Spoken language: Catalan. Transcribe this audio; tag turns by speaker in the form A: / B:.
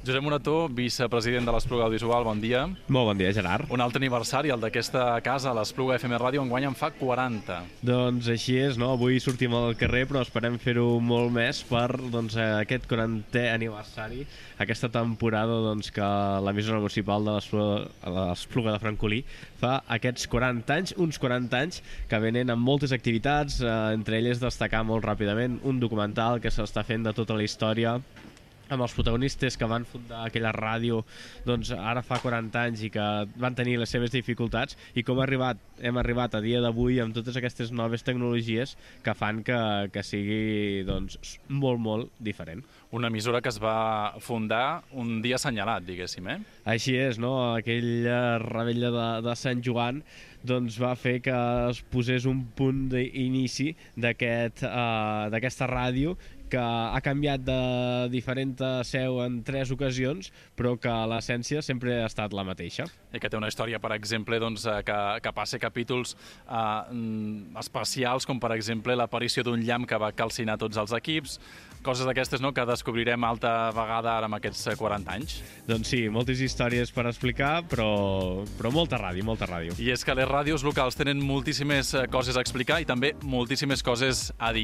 A: Josep Morató, vicepresident de l'Espluga Audiovisual, bon dia.
B: Molt bon dia, Gerard.
A: Un altre aniversari, el d'aquesta casa, l'Espluga FM Ràdio, enguany en fa 40.
B: Doncs així és, no? Avui sortim al carrer, però esperem fer-ho molt més per aquest 40è aniversari, aquesta temporada que l'emissora municipal de l'Espluga de Francolí fa aquests 40 anys, uns 40 anys que venen amb moltes activitats, entre elles destacar molt ràpidament un documental que s'està fent de tota la història amb els protagonistes que van fundar aquella ràdio ara fa 40 anys i que van tenir les seves dificultats i com hem arribat a dia d'avui amb totes aquestes noves tecnologies que fan que sigui molt, molt diferent.
A: Una emissora que es va fundar un dia assenyalat, diguéssim, eh?
B: Així és, no? Aquella revetlla de Sant Joan va fer que es posés un punt d'inici d'aquesta ràdio que ha canviat de diferent seu en 3 ocasions, però que l'essència sempre ha estat la mateixa.
A: I que té una història, per exemple, que passa capítols especials, com per exemple l'aparició d'un llamp que va calcinar tots els equips, coses d'aquestes que descobrirem altra vegada ara amb aquests 40 anys.
B: Doncs sí, moltes històries per explicar, però molta ràdio, molta ràdio.
A: I és que les ràdios locals tenen moltíssimes coses a explicar i també moltíssimes coses a dir.